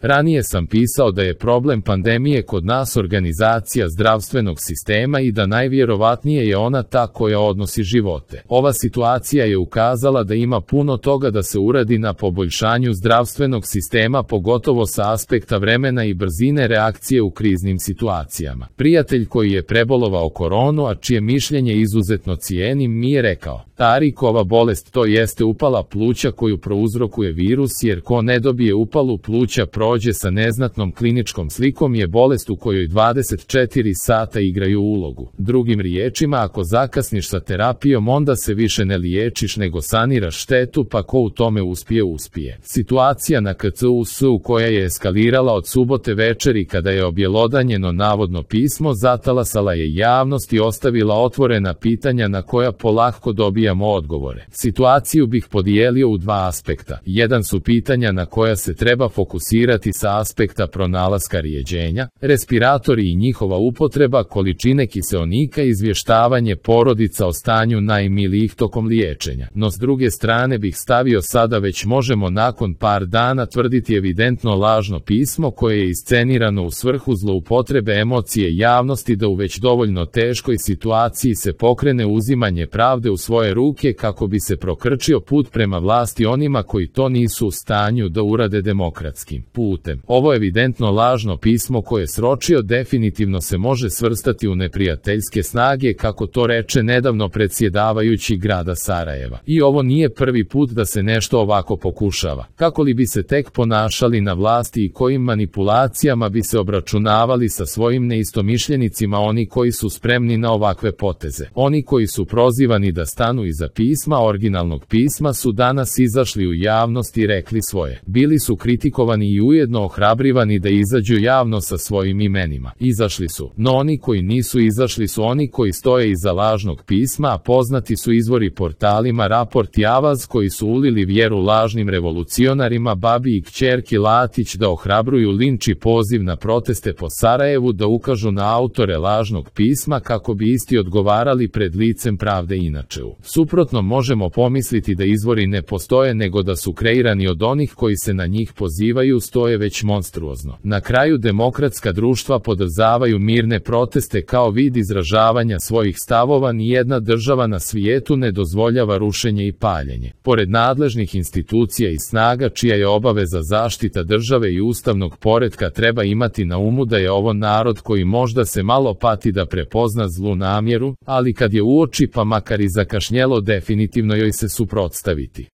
Ranije sam pisao da je problem pandemije kod nas organizacija zdravstvenog sistema i da najvjerovatnije je ona ta koja odnosi živote. Ova situacija je ukazala da ima puno toga da se uradi na poboljšanju zdravstvenog sistema, pogotovo sa aspekta vremena i brzine reakcije u kriznim situacijama. Prijatelj koji je prebolovao koronu, a čije mišljenje izuzetno cijenim, mi je rekao: Tarikova bolest to jeste upala pluća koju prouzrokuje virus, jer ko ne dobije upalu pluća prođe sa neznatnom kliničkom slikom je bolest u kojoj 24 sata igraju ulogu. Drugim riječima, ako zakasniš sa terapijom, onda se više ne liječiš nego saniraš štetu, pa ko u tome uspije. Situacija na KCUS-u koja je eskalirala od subote večeri kada je objelodanjeno navodno pismo zatalasala je javnost i ostavila otvorena pitanja na koja polako dobijamo odgovore. Situaciju bih podijelio u dva aspekta. Jedan su pitanja na koja se treba fokusirati sa aspekta pronalaska rijeđenja, respiratori i njihova upotreba, količine kiseonika i izvještavanje porodica o stanju najmilijih tokom liječenja. No s druge strane bih stavio sada već možemo nakon par dana tvrditi evidentno lažno pismo koje je iscenirano u svrhu zloupotrebe emocije javnosti da u već dovoljno teškoj situaciji se pokrene uzimanje pravde u svoje ruke kako bi se prokrčio put prema vlasti onima koji to nisu u stanju da urade demokratskim putem. Ovo evidentno lažno pismo koje je sročio definitivno se može svrstati u neprijateljske snage, kako to reče nedavno predsjedavajući grada Sarajeva. I ovo nije prvi put da se nešto ovako pokušava. Kako li bi se tek ponašali na vlasti i kojim manipulacijama bi se obračunavali sa svojim neistomišljenicima oni koji su spremni na ovakve poteze. Oni koji su prozivani da stanu iza pisma, originalnog pisma, su danas izašli u javnost i rekli svoje. Bili su kritikovani i ujedno ohrabrivani da izađu javno sa svojim imenima. Izašli su. No oni koji nisu izašli su oni koji stoje iza lažnog pisma, a poznati su izvori portalima Raport i Avaz koji su ulili vjeru lažnim revolucionarima, babi i kćerki Latić da ohrabruju linč i poziv na proteste po Sarajevu, da ukažu na autore lažnog pisma kako bi isti odgovarali pred licem pravde. Inače, suprotno možemo pomisliti da izvori ne postoje nego da su kreirani od onih koji se na njih pozivaju, stoje već monstruozno. Na kraju demokratska društva podržavaju mirne proteste kao vid izražavanja svojih stavova, nijedna država na svijetu ne dozvoljava rušenje i paljenje. Pored nadležnih institucija i snaga čija je obaveza zaštita države i ustavnog poretka, treba imati na umu da je ovo narod koji možda se malo pati da prepozna zlu namjeru, ali kad je uoči pa makar i zakašnjelo definitivno joj se suprotstaviti.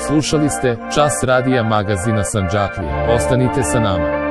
Slušali ste Čas radija magazina Sandžaklija. Ostanite sa nama.